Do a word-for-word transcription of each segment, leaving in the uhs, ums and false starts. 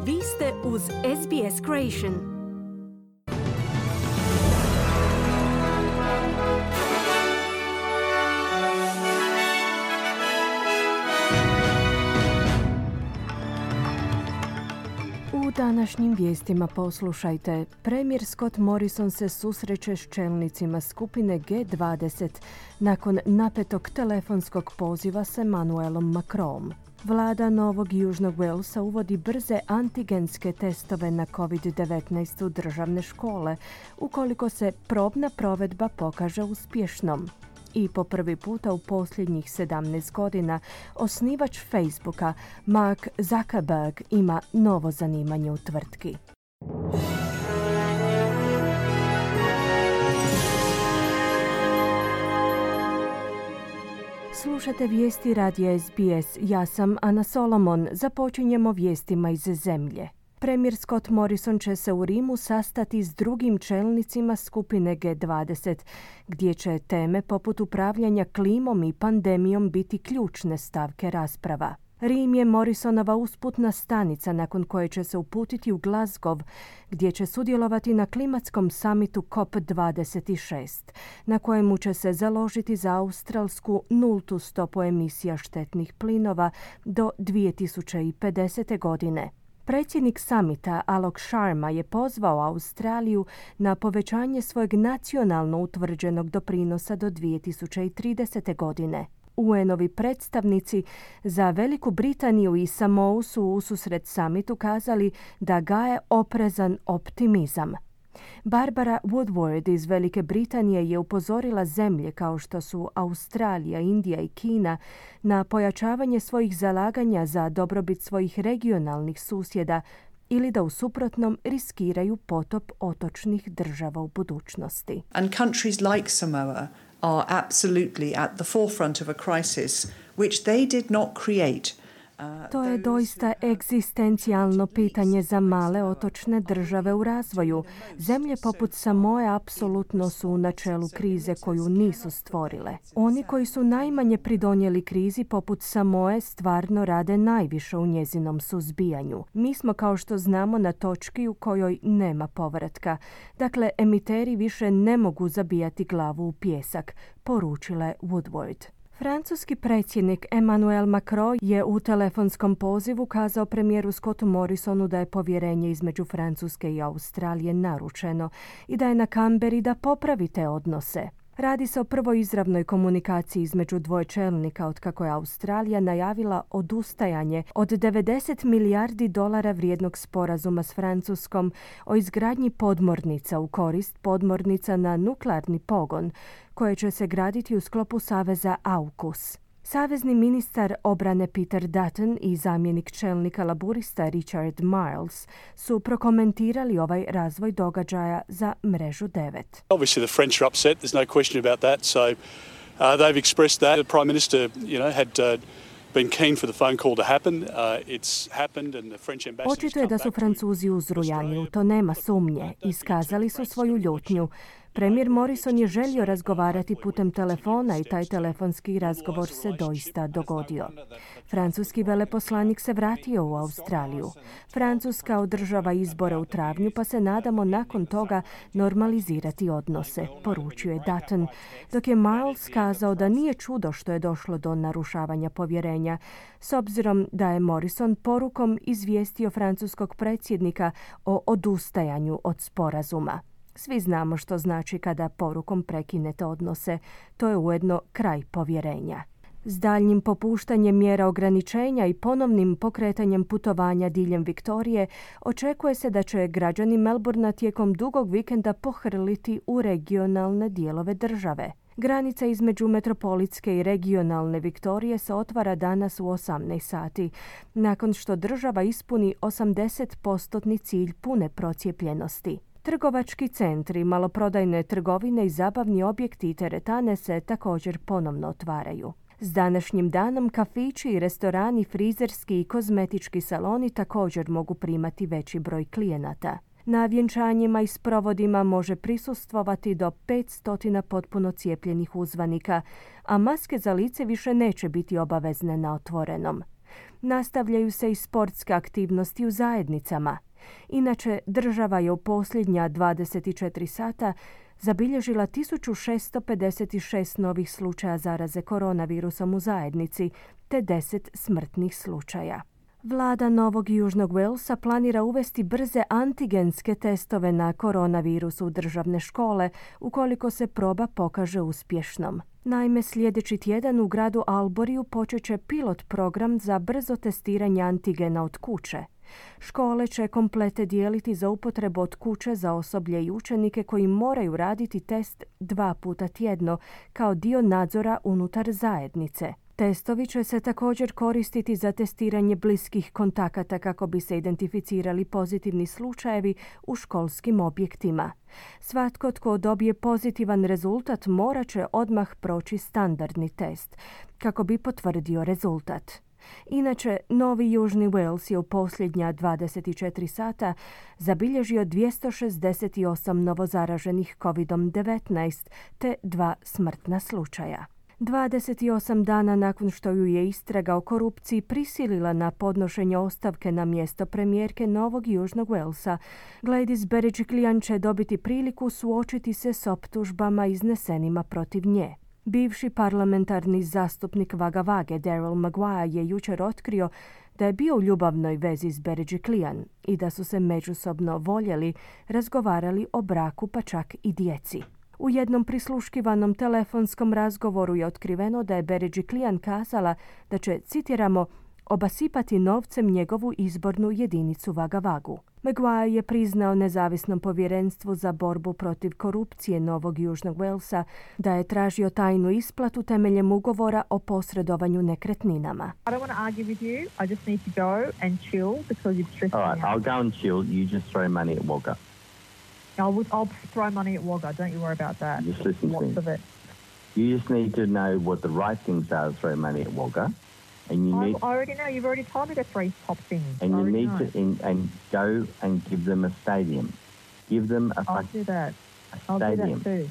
Vi ste uz S B S Creation. U današnjim vijestima poslušajte. Premijer Scott Morrison se susreće s čelnicima skupine G dvadeset nakon napetog telefonskog poziva s Emmanuelom Macronom. Vlada Novog Južnog Walesa uvodi brze antigenske testove na covid devetnaest u državne škole, ukoliko se probna provedba pokaže uspješnom. I po prvi puta u posljednjih sedamnaest godina osnivač Facebooka, Mark Zuckerberg, ima novo zanimanje u tvrtki. Slušate vijesti radija S B S. Ja sam Ana Solomon. Započinjemo vijestima iz zemlje. Premijer Scott Morrison će se u Rimu sastati s drugim čelnicima skupine G dvadeset, gdje će teme poput upravljanja klimom i pandemijom biti ključne stavke rasprava. Rim je Morrisonova usputna stanica nakon koje će se uputiti u Glasgow, gdje će sudjelovati na klimatskom samitu C O P dvadeset šest, na kojemu će se založiti za australsku nultu stopu emisija štetnih plinova do dvije tisuće pedesete. godine. Predsjednik samita Alok Sharma je pozvao Australiju na povećanje svojeg nacionalno utvrđenog doprinosa do dvije tisuće tridesete. godine. U N-ovi predstavnici za Veliku Britaniju i Samou su ususret samitu kazali da gaje oprezan optimizam. Barbara Woodward iz Velike Britanije je upozorila zemlje kao što su Australija, Indija i Kina na pojačavanje svojih zalaganja za dobrobit svojih regionalnih susjeda ili da u suprotnom riskiraju potop otočnih država u budućnosti. And countries like Samoa are absolutely at the forefront of a crisis which they did not create. To je doista egzistencijalno pitanje za male otočne države u razvoju. Zemlje poput Samoe apsolutno su u načelu krize koju nisu stvorile. Oni koji su najmanje pridonijeli krizi poput Samoe stvarno rade najviše u njezinom suzbijanju. Mi smo, kao što znamo, na točki u kojoj nema povratka. Dakle, emiteri više ne mogu zabijati glavu u pijesak, poručila je Woodward. Francuski predsjednik Emmanuel Macron je u telefonskom pozivu kazao premijeru Scottu Morrisonu da je povjerenje između Francuske i Australije narušeno i da je na Canberri da popravi te odnose. Radi se o prvoj izravnoj komunikaciji između dvoje čelnika otkako je Australija najavila odustajanje od devedeset milijardi dolara vrijednog sporazuma s Francuskom o izgradnji podmornica u korist podmornica na nuklearni pogon, koje će se graditi u sklopu saveza AUKUS. Savezni ministar obrane Peter Dutton i zamjenik čelnika laburista Richard Marles su prokomentirali ovaj razvoj događaja za Mrežu devet. Obviously the French are upset, there's no question about that, so uh, they've expressed that. The Prime Minister, you know, had uh, been keen for the phone call to happen. Uh, it's happened and the French ambassador. Očito je da su Francuzi uzrujani, u to nema sumnje. Iskazali su svoju ljutnju. Premijer Morrison je želio razgovarati putem telefona i taj telefonski razgovor se doista dogodio. Francuski veleposlanik se vratio u Australiju. Francuska održava izbore u travnju, pa se nadamo nakon toga normalizirati odnose, poručio je Dutton, dok je Miles kazao da nije čudo što je došlo do narušavanja povjerenja, s obzirom da je Morrison porukom izvijestio francuskog predsjednika o odustajanju od sporazuma. Svi znamo što znači kada porukom prekinete odnose. To je ujedno kraj povjerenja. S daljnjim popuštanjem mjera ograničenja i ponovnim pokretanjem putovanja diljem Viktorije, očekuje se da će građani Melbourna tijekom dugog vikenda pohrliti u regionalne dijelove države. Granica između metropolitske i regionalne Viktorije se otvara danas u osamnaest sati, nakon što država ispuni osamdeset posto cilj pune procijepljenosti. Trgovački centri, maloprodajne trgovine i zabavni objekti i teretane se također ponovno otvaraju. S današnjim danom kafići i restorani, frizerski i kozmetički saloni također mogu primati veći broj klijenata. Na vjenčanjima i sprovodima može prisustvovati do petsto potpuno cijepljenih uzvanika, a maske za lice više neće biti obavezne na otvorenom. Nastavljaju se i sportske aktivnosti u zajednicama. Inače, država je u posljednja dvadeset četiri sata zabilježila tisuću šesto pedeset šest novih slučaja zaraze koronavirusom u zajednici, te deset smrtnih slučaja. Vlada Novog Južnog Walesa planira uvesti brze antigenske testove na koronavirus u državne škole ukoliko se proba pokaže uspješnom. Naime, sljedeći tjedan u gradu Alboriju počet će pilot program za brzo testiranje antigena od kuće. Škole će komplete dijeliti za upotrebu od kuće za osoblje i učenike koji moraju raditi test dva puta tjedno kao dio nadzora unutar zajednice. Testovi će se također koristiti za testiranje bliskih kontakata kako bi se identificirali pozitivni slučajevi u školskim objektima. Svatko tko dobije pozitivan rezultat morat će odmah proći standardni test kako bi potvrdio rezultat. Inače, Novi Južni Wales je u posljednja dvadeset četiri sata zabilježio dvjesto šezdeset osam novozaraženih kovid devetnaest te dva smrtna slučaja. dvadeset osam dana nakon što ju je istraga o korupciji prisilila na podnošenje ostavke na mjesto premijerke Novog Južnog Walesa, Gladys Berejiklian će dobiti priliku suočiti se s optužbama iznesenima protiv nje. Bivši parlamentarni zastupnik Vaga Vage Daryl Maguire je jučer otkrio da je bio u ljubavnoj vezi s Berejiklian i da su se međusobno voljeli, razgovarali o braku pa čak i djeci. U jednom prisluškivanom telefonskom razgovoru je otkriveno da je Berejiklian kazala da će, citiramo, obasipati novcem njegovu izbornu jedinicu Vaga Vagu. Maguire je priznao nezavisnom povjerenstvu za borbu protiv korupcije Novog Južnog Walesa da je tražio tajnu isplatu temeljem ugovora o posredovanju nekretninama. I don't want to argue with you. I just need to go and chill because you've stressed me out. All right, I'll go and chill. You just throw money at Wagga. I'll, I'll throw money at Wagga. Don't you worry about that. Just listen Lots to me. of it. You just need to know what the right things are to throw money at Wagga. And you I, need, I already know. You've already told me to three top things. and I you already need know. to in, and go and give them a stadium. Give them a, I'll fuck- do that. a I'll do stadium. that too.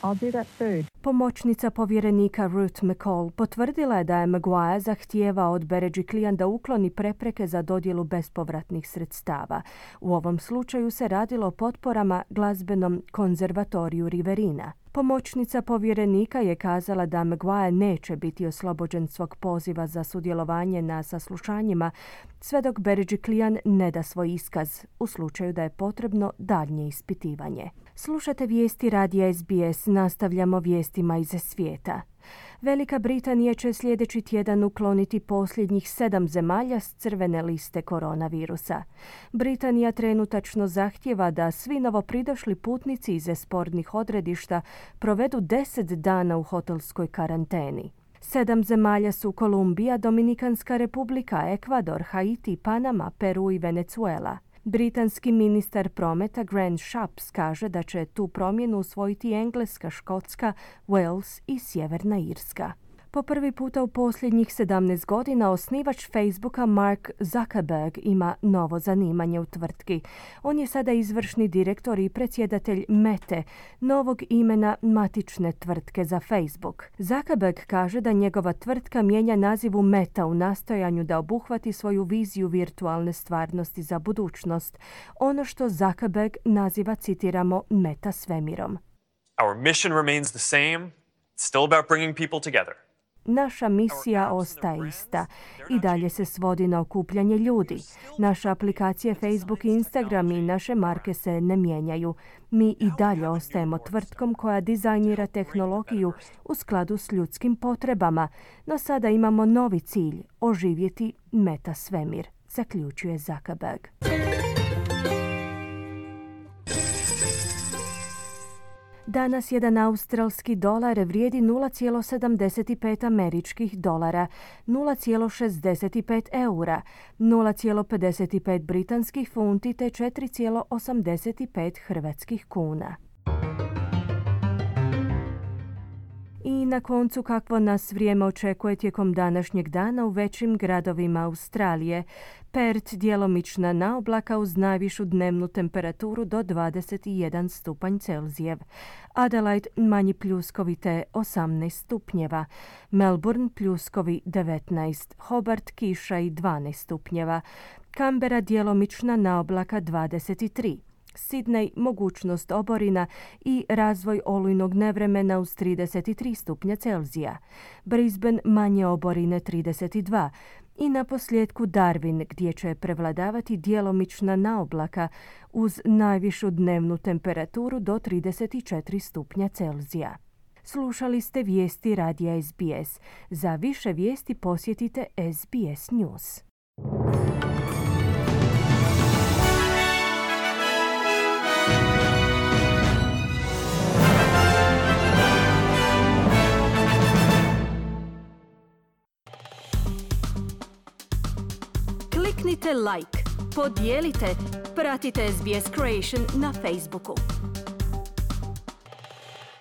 I'll do that too. Pomoćnica povjerenika Ruth McCall potvrdila je da je Maguire zahtijevao od Berejiklian da ukloni prepreke za dodjelu bespovratnih sredstava. U ovom slučaju se radilo o potporama glazbenom konzervatoriju Riverina. Pomoćnica povjerenika je kazala da Maguire neće biti oslobođen svog poziva za sudjelovanje na saslušanjima sve dok Berejiklian ne da svoj iskaz u slučaju da je potrebno daljnje ispitivanje. Slušate vijesti radija S B S, nastavljamo vijestima iz svijeta. Velika Britanija će sljedeći tjedan ukloniti posljednjih sedam zemalja s crvene liste koronavirusa. Britanija trenutačno zahtjeva da svi novopridošli putnici iz spornih odredišta provedu deset dana u hotelskoj karanteni. Sedam zemalja su Kolumbija, Dominikanska republika, Ekvador, Haiti, Panama, Peru i Venezuela. Britanski ministar prometa Grant Shapps kaže da će tu promjenu usvojiti Engleska, Škotska, Wales i Sjeverna Irska. Po prvi puta u posljednjih sedamnaest godina osnivač Facebooka Mark Zuckerberg ima novo zanimanje u tvrtki. On je sada izvršni direktor i predsjedatelj Mete, novog imena matične tvrtke za Facebook. Zuckerberg kaže da njegova tvrtka mijenja naziv u Meta u nastojanju da obuhvati svoju viziju virtualne stvarnosti za budućnost, ono što Zuckerberg naziva, citiramo, meta svemirom. Our mission remains the same. It's still about bringing people together. Naša misija ostaje ista. I dalje se svodi na okupljanje ljudi. Naše aplikacije Facebook i Instagram i naše marke se ne mijenjaju. Mi i dalje ostajemo tvrtkom koja dizajnira tehnologiju u skladu s ljudskim potrebama, no sada imamo novi cilj – oživjeti meta svemir, zaključuje Zuckerberg. Danas jedan australski dolar vrijedi nula zarez sedamdeset pet američkih dolara, nula zarez šezdeset pet eura, nula zarez pedeset pet britanskih funti te četiri zarez osamdeset pet hrvatskih kuna. I na koncu, kakvo nas vrijeme očekuje tijekom današnjeg dana u većim gradovima Australije. Perth djelomična naoblaka uz najvišu dnevnu temperaturu do dvadeset jedan stupanj Celzijev. Adelaide manji pljuskovi te osamnaest stupnjeva. Melbourne pljuskovi devetnaest. Hobart kiša i dvanaest stupnjeva. Canberra djelomična naoblaka dvadeset tri. Sydney mogućnost oborina i razvoj olujnog nevremena uz trideset tri stupnja Celzija. Brisbane manje oborine trideset dva. I na posljedku Darwin gdje će prevladavati djelomična naoblaka uz najvišu dnevnu temperaturu do trideset četiri stupnja Celzija. Slušali ste vijesti radija S B S. Za više vijesti posjetite S B S News. Kliknite like, podijelite, pratite S B S Creation na Facebooku.